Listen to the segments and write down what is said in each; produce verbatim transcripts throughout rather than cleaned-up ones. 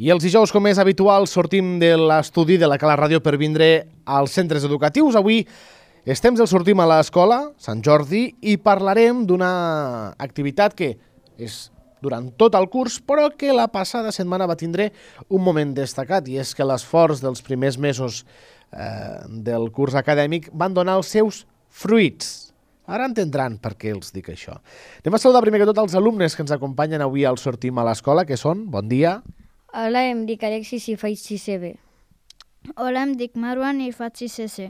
I els dijous, com és habitual, sortim de l'estudi de la Cala Ràdio per vindre als centres educatius. Avui estem del sortim a l'escola, Sant Jordi, i parlarem d'una activitat que és durant tot el curs, però que la passada setmana va tindre un moment destacat, i és que l'esforç dels primers mesos eh, del curs acadèmic van donar els seus fruits. Ara entendran per què els dic això. Anem a saludar primer que tot els alumnes que ens acompanyen avui al sortim a l'escola, que són, bon dia. Hola, em dic Alexis i faig sisè B. Hola, em dic Marwan i faig sisè C.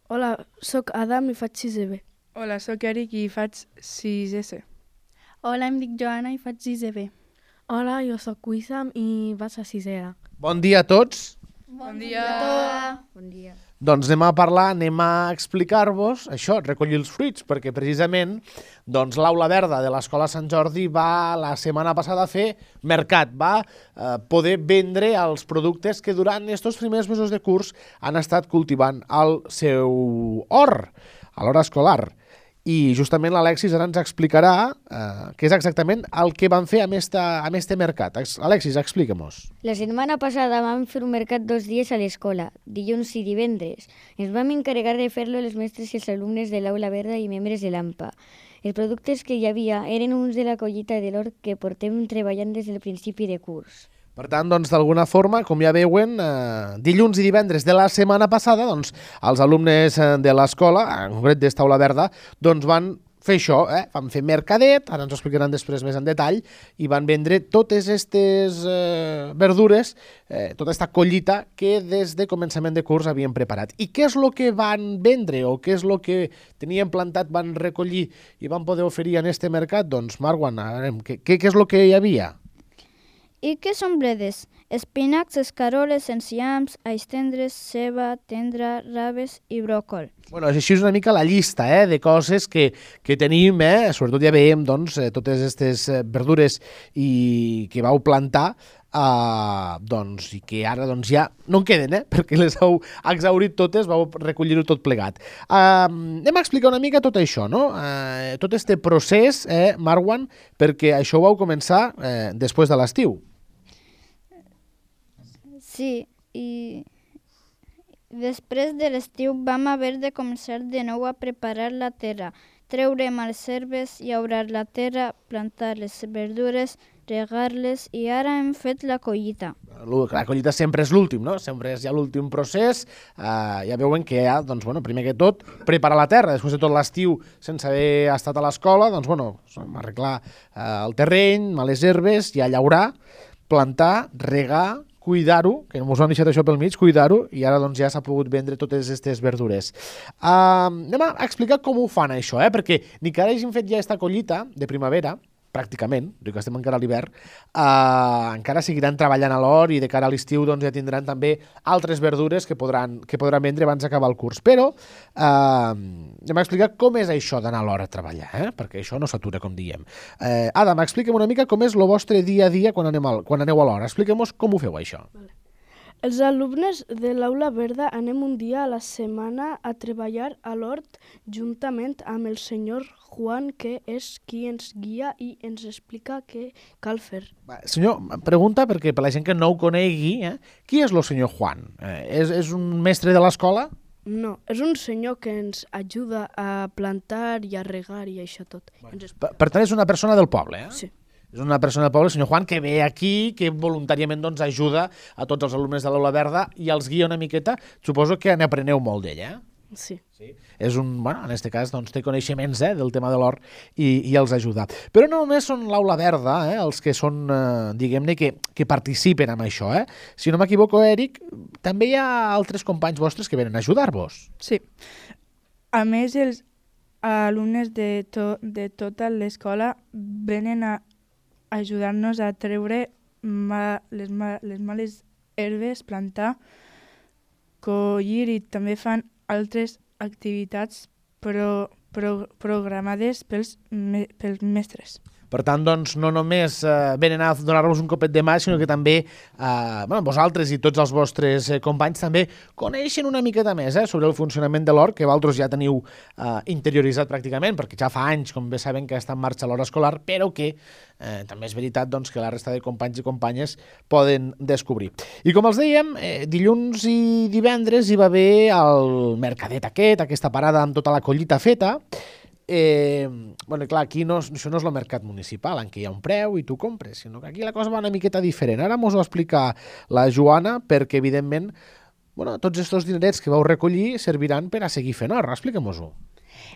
Hola, sóc Adam i faig sisè B. Hola, sóc Eric i faig sisè C. Hola, em dic Joana i faig sisè B. Hola, jo sóc Wissam i vaig a sisè A. Bon dia a tots. Bon dia. Bon dia. Doncs anem a parlar, anem a explicar-vos això, recollir els fruits, perquè precisament doncs, l'Aula Verda de l'Escola Sant Jordi va la setmana passada a fer mercat, va eh, poder vendre els productes que durant aquests primers mesos de curs han estat cultivant al seu hort, a l'hora escolar. I justament l'Alexis ara ens explicarà eh, què és exactament el que van fer amb, esta, amb este mercat. Alexis, explica-mos. La setmana passada vam fer un mercat dos dies a l'escola, dilluns i divendres. Ens vam encarregar de fer-lo els mestres i els alumnes de l'Aula Verda i membres de l'A M P A. Els productes que hi havia eren uns de la collita de l'hort que portem treballant des del principi de curs. Per tant, doncs, d'alguna forma, com ja veuen, eh, dilluns i divendres de la setmana passada, doncs, els alumnes de l'escola, en concret d'esta Aula Verda, doncs van fer això, eh? Van fer mercadet, ara ens ho explicaran després més en detall, i van vendre totes aquestes eh, verdures, eh, tota aquesta collita que des de començament de curs havien preparat. I què és el que van vendre o què és el que tenien plantat, van recollir i van poder oferir en este mercat? Doncs, Marwan, què, què és el que hi havia? I què són bledes? Espinacs, escaroles, enciams, alls tendres, ceba, tendra, raves i bròcol. Bueno, així és una mica la llista eh, de coses que, que tenim, eh, sobretot ja veiem doncs, totes aquestes verdures i que vau plantar, eh, doncs, i que ara doncs, ja no en queden, eh, perquè les heu exhaurit totes, vau recollir-ho tot plegat. Eh, anem a explicar una mica tot això, no? Eh, tot este procés, eh, Marwan, perquè això ho vau començar eh, després de l'estiu. Sí, i després de l'estiu vam haver de començar de nou a preparar la terra, treure males herbes, llaurar la terra, plantar les verdures, regar-les i ara hem fet la collita. La collita sempre és l'últim, no? Sempre és ja l'últim procés. Uh, ja veuen que ja, doncs, bueno, primer que tot, preparar la terra. Després de tot l'estiu, sense haver estat a l'escola, doncs, bueno, arreglar uh, el terreny, males herbes, ja llaurar, plantar, regar, cuidar-ho, que ens ho han deixat això pel mig, cuidar-ho, i ara doncs ja s'ha pogut vendre totes aquestes verdures. Uh, anem a explicar com ho fan això, eh? Perquè ni que ara hagin fet ja aquesta collita de primavera, pràcticament, que estem encara a l'hivern, uh, encara seguiran treballant a l'hort i de cara a l'estiu doncs, ja tindran també altres verdures que podran, que podran vendre abans d'acabar el curs. Però uh, anem a explicar com és això d'anar a l'hort a treballar, eh? Perquè això no s'atura, com diem. Uh, Adam, explica'm una mica com és el vostre dia a dia quan, anem al, quan aneu a l'hort. Expliquem-nos com ho feu, això. Vale. Els alumnes de l'Aula Verda anem un dia a la setmana a treballar a l'hort juntament amb el senyor Juan, que és qui ens guia i ens explica què cal fer. Va, senyor, pregunta, perquè per la gent que no ho conegui, eh, qui és el senyor Juan? Eh, és, és un mestre de l'escola? No, és un senyor que ens ajuda a plantar i a regar i això tot. Bueno, per, per tant, és una persona del poble, eh? Sí. És una persona del poble, el senyor Juan, que ve aquí, que voluntàriament doncs, ajuda a tots els alumnes de l'Aula Verda i els guia una miqueta. Suposo que n'apreneu molt d'ell, eh? Sí. Sí. És un, bueno, en aquest cas doncs, té coneixements eh, del tema de l'hort i, i els ajuda. Però no només són l'Aula Verda eh, els que són, eh, diguem-ne, que, que participen en això. Eh? Si no m'equivoco, Eric, també hi ha altres companys vostres que venen a ajudar-vos. Sí. A més, els alumnes de, to, de tota l'escola venen a ajudar-nos a treure ma, les, ma, les males herbes, plantar, collir i també fan altres activitats pro, pro, programades pels, me, pels mestres. Per tant, doncs, no només eh, venen a donar-vos un copet de mà, sinó que també eh, bueno, vosaltres i tots els vostres eh, companys també coneixen una miqueta més eh, sobre el funcionament de l'hort, que vosaltres ja teniu eh, interioritzat pràcticament, perquè ja fa anys, com bé saben, que està en marxa l'hort escolar, però que eh, també és veritat doncs, que la resta de companys i companyes poden descobrir. I com els dèiem, eh, dilluns i divendres hi va haver el mercadet aquest, aquesta parada amb tota la collita feta. Eh, bueno, clar, aquí no, això no és el mercat municipal, en què hi ha un preu i tu compres, sinó que aquí la cosa va una miqueta diferent. Ara mos ho explica la Joana, perquè evidentment bueno, tots aquests dinerets que vau recollir serviran per a seguir fent hort. Expliquem-nos-ho.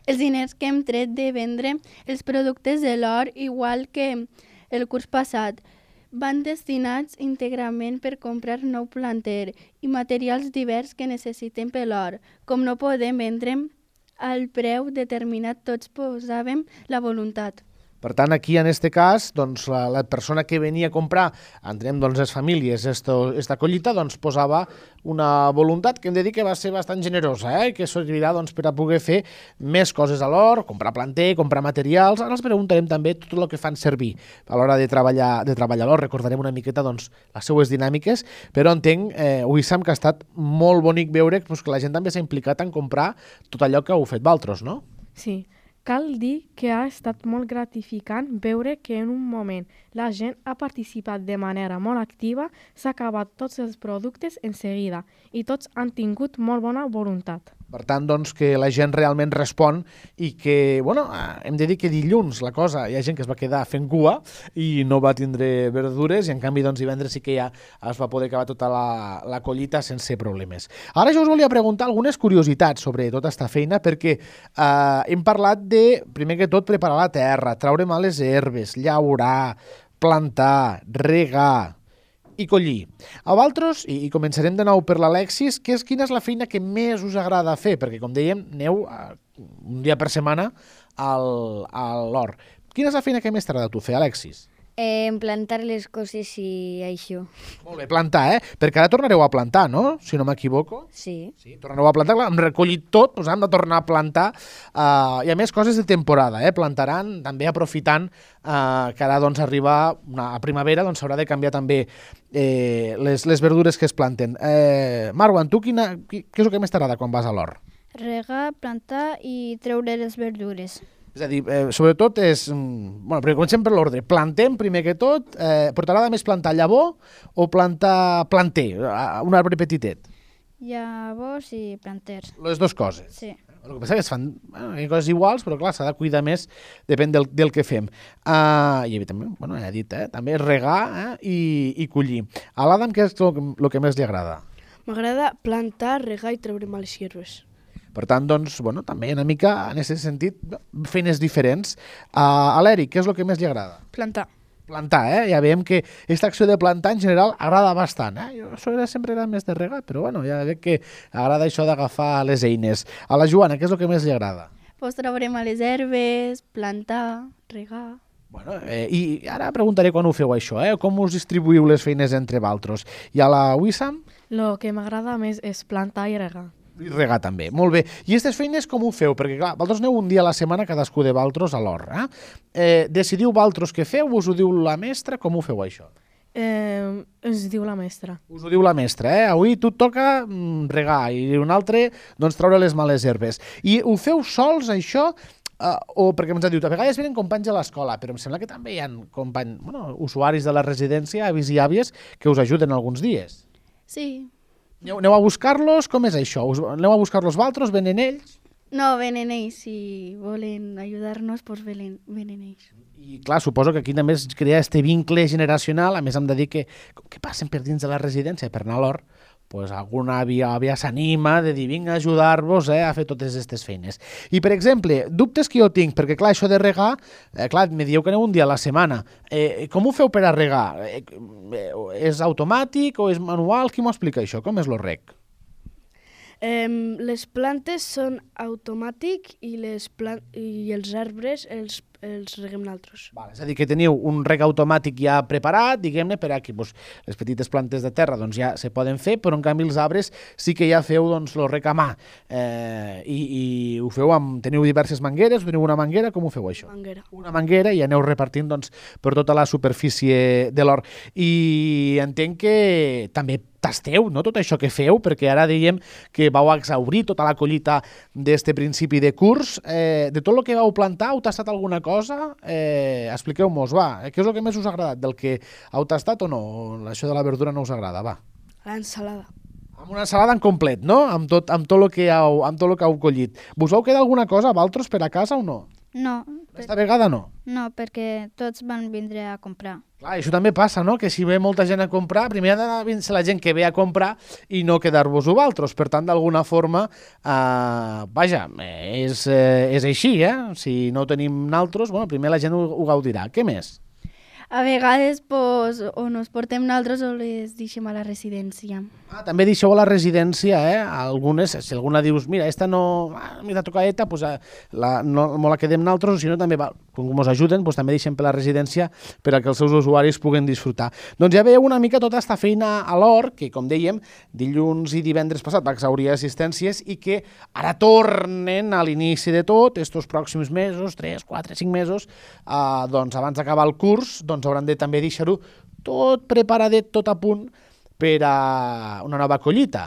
Els diners que hem tret de vendre els productes de l'hort, igual que el curs passat, van destinats íntegrament per comprar nou planter i materials divers que necessitem per l'hort. Com no podem vendre al preu determinat, tots posàvem la voluntat. Per tant, aquí, en aquest cas, doncs, la, la persona que venia a comprar, entenem, doncs, les famílies, esto, esta collita, doncs, posava una voluntat que hem de dir que va ser bastant generosa, eh? Que servirà doncs, per a poder fer més coses a l'hort, comprar planter, comprar materials. Ara els preguntarem també tot el que fan servir a l'hora de treballar, de treballar a l'hort. Recordarem una miqueta doncs, les seues dinàmiques, però entenc, eh, Wissam, que ha estat molt bonic veure doncs, que la gent també s'ha implicat en comprar tot allò que heu fet vosaltres, no? Sí. Cal dir que ha estat molt gratificant veure que en un moment la gent ha participat de manera molt activa, s'ha acabat tots els productes en seguida i tots han tingut molt bona voluntat. Per tant, doncs, que la gent realment respon i que, bueno, hem de dir que dilluns la cosa, hi ha gent que es va quedar fent cua i no va tindre verdures i en canvi doncs divendres sí que ja es va poder acabar tota la, la collita sense problemes. Ara jo us volia preguntar algunes curiositats sobre tota aquesta feina perquè eh, hem parlat de, primer que tot, preparar la terra, traure males herbes, llaurar, plantar, regar i collir. A vosaltres, i començarem de nou per l'Alexis, que és, quina és la feina que més us agrada fer? Perquè, com dèiem, aneu un dia per setmana al, a l'hort. Quina és la feina que més t'agrada a tu fer, Alexis? Eh, plantar les coses i això. Molt bé, plantar, eh? Perquè ara tornareu a plantar, no? Si no m'equivoco. Sí. Sí, tornareu a plantar, clar, hem recollit tot, doncs hem de tornar a plantar, uh, i a més coses de temporada, eh? Plantaran també aprofitant uh, que ara doncs, arriba una, a primavera, doncs s'haurà de canviar també eh, les, les verdures que es planten. Eh, Marwan, tu quina, què és el que més t'agrada quan vas a l'hort? Regar, plantar i treure les verdures. És a dir, eh, sobretot és... Bueno, perquè comencem per l'ordre. Plantem, primer que tot, eh, però t'agrada més plantar llavor o plantar planter, un arbre petitet? Llavors i planters. Les dues coses. Sí. El que passa és que es fan bueno, coses iguals, però clar, s'ha de cuidar més, depèn del, del que fem. Uh, I evidentment, bueno, ja he dit, eh, també regar eh, i, i collir. A l'Adam, què és el, el que més li agrada? M'agrada plantar, regar i treure males hierbes. Per tant, doncs, bueno, també una mica, en aquest sentit, feines diferents. Uh, a l'Eric, què és el que més li agrada? Plantar. Plantar, eh? Ja veiem que aquesta acció de plantar en general agrada bastant, eh? Jo això era, sempre era més de regar, però bueno, ja veig que agrada això d'agafar les eines. A la Joana, què és el que més li agrada? Pues traurem a les herbes, plantar, regar... Bueno, eh, i ara preguntaré quan ho feu això, eh? Com us distribuïu les feines entre vosaltres? I a la Wissam? Lo que m'agrada més és plantar i regar. I regar també, molt bé. I aquestes feines com ho feu? Perquè clar, vosaltres aneu un dia a la setmana cadascú de vosaltres a l'hort, eh? eh? Decidiu vosaltres què feu? Us ho diu la mestra? Com ho feu això? Eh, ens diu la mestra. Us ho diu la mestra, eh? Avui tu et toca mm, regar i un altre doncs treure les males herbes. I ho feu sols, això? Uh, o perquè ens ha dit, a vegades venen companys a l'escola, però em sembla que també hi ha companys, bueno, usuaris de la residència, avis i àvies, que us ajuden alguns dies. Sí. Aneu, aneu a buscar-los? Com és això? Us, aneu a buscar-los vosaltres? Venen ells? No, venen ells. Si volen ajudar-nos, doncs venen, venen ells. I clar, suposo que aquí també es crea este vincle generacional. A més, hem de dir que, com que passen per dins de la residència per anar a l'hort, pues alguna àvia, àvia s'anima de dir vinga a ajudar-vos eh, a fer totes aquestes feines. I, per exemple, dubtes que jo tinc, perquè clar, això de regar, eh, clar, me dieu que aneu un dia a la setmana. Eh, com ho feu per a regar? Eh, eh, és automàtic o és manual? Qui m'ho explica això? Com és lo reg? Eh, les plantes són automàtic i, les plan i els arbres els els reguem nosaltres. Val, és a dir, que teniu un reg automàtic ja preparat, diguem-ne, per a que doncs, les petites plantes de terra doncs, ja se poden fer, però en canvi els arbres sí que ja feu doncs, el reg a mà. Eh, i, I ho feu amb... Teniu diverses mangueres, teniu una manguera, com ho feu això? Manguera. Una manguera i aneu repartint doncs, per tota la superfície de l'hort. I entenc que també tasteu, no?, tot això que feu, perquè ara dèiem que vau exhaurir tota la collita d'este principi de curs. Eh, de tot el que vau plantar, heu tastat alguna cosa? Eh, Expliqueu-mos, va, què és el que més us ha agradat? Del que heu tastat o no? Això de la verdura no us agrada, va. L'ensalada. Amb una ensalada en complet, no? Amb tot, amb tot el que heu, amb tot el que heu collit. Vos vau quedar alguna cosa, vosaltres, per a casa o no? No, Aquesta vegada no? no, perquè tots van vindre a comprar. Clar, això també passa, no?, que si ve molta gent a comprar, primer ha de vindre la gent que ve a comprar i no quedar-vos vosaltres. Per tant, d'alguna forma, eh, vaja, és, eh, és així, eh? Si no ho tenim naltros, bueno, primer la gent ho, ho gaudirà. Què més? A vegades pues, o nos portem nosaltres o les deixem a la residència. Ah, també deixeu a la residència, eh? Algunes, si alguna dius, mira, esta no... Ah, m'ha tocadeta, pues, la, no, no la quedem nosaltres, o si no també, va, com ens ajuden, pues, també deixem per la residència per a que els seus usuaris puguen disfrutar. Doncs ja veieu una mica tota esta feina a l'hort, que, com dèiem, dilluns i divendres passat va exhaurir assistències i que ara tornen a l'inici de tot, estos pròxims mesos, tres, quatre, cinc mesos, eh, doncs abans d'acabar el curs, doncs hauran de també deixar-ho tot preparadet, tot a punt per a una nova collita,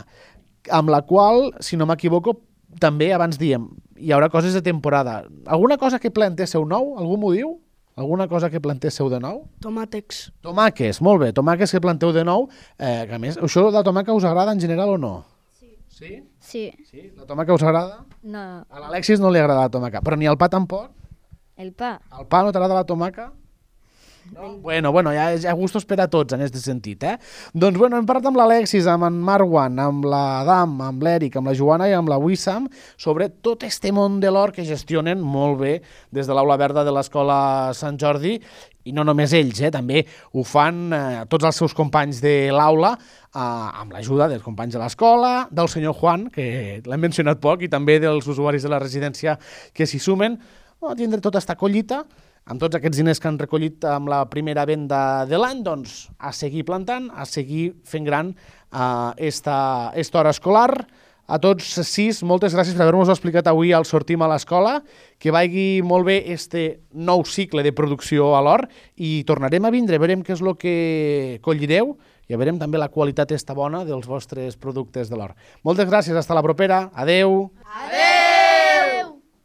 amb la qual, si no m'equivoco, també abans diem, hi haurà coses de temporada. Alguna cosa que plantéssiu nou? Algú m'ho diu? Alguna cosa que plantéssiu de nou? Tomàtecs. Tomàquets, molt bé, tomàquets que planteu de nou, eh, que a més, això de la tomàquet us agrada en general o no? Sí. Sí? Sí. Sí? La tomàquet us agrada? No, A l'Alexis no li agrada la tomàquet, però ni al pa tampoc? el pa. Al pa no t'agrada la tomàquet? No? Bueno, bueno, hi ha, hi ha gustos per a tots en aquest sentit, eh? Doncs, bueno, hem parlat amb l'Alexis, amb en Marwan, amb l'Adam, amb l'Eric, amb la Joana i amb la Wissam sobre tot este món de l'hort que gestionen molt bé des de l'Aula Verda de l'Escola Sant Jordi, i no només ells, eh? També ho fan eh, tots els seus companys de l'aula, eh, amb l'ajuda dels companys de l'escola, del senyor Juan, que l'hem mencionat poc, i també dels usuaris de la residència que s'hi sumen, a tindre tota esta collita, amb tots aquests diners que han recollit amb la primera venda de l'any, doncs a seguir plantant, a seguir fent gran uh, esta, esta hora escolar. A tots sis, moltes gràcies per haver-nos explicat avui al Sortim a l'Escola, que vagi molt bé este nou cicle de producció a l'hort i tornarem a vindre, veurem què és el que collireu i veurem també la qualitat esta bona dels vostres productes de l'hort. Moltes gràcies, hasta la propera, adeu! Adeu!